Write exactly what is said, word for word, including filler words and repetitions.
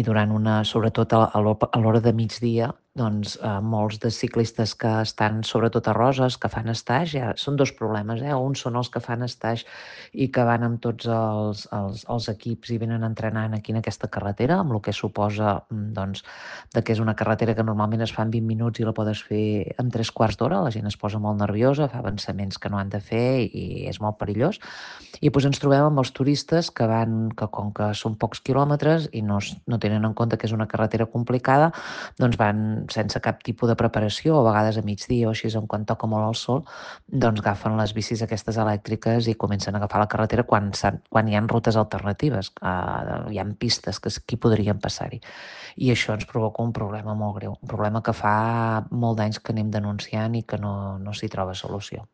i durant una sobretot a a l'ho a l'hora de migdia, doncs, eh, molts de ciclistes que estan sobretot a Roses, que fan stage, ja són dos problemes, eh, un són els que fan stage i que van amb tots els els els equips i venen entrenant aquí en aquesta carretera, amb lo que suposa, mm, doncs, de que és una carretera que normalment es fa en vint minuts i la podes fer en tres quarts d'hora, la gent es posa molt nerviosa, fa avançaments que no han de fer i és molt perillós. I doncs ens trobem amb els turistes que van que com que són pocs quilòmetres i no es no tenen en compte que és una carretera complicada, doncs van sense cap tipus de preparació, o a vegades a migdia o així, on quan toca molt el sol, doncs agafen les bicis aquestes elèctriques i comencen a agafar la carretera quan s'han quan hi han rutes alternatives, eh, hi han pistes que aquí podrien passar-hi. I això ens provoca un problema molt greu, un problema que fa molt d'anys que anem denunciant i que no no s'hi troba solució.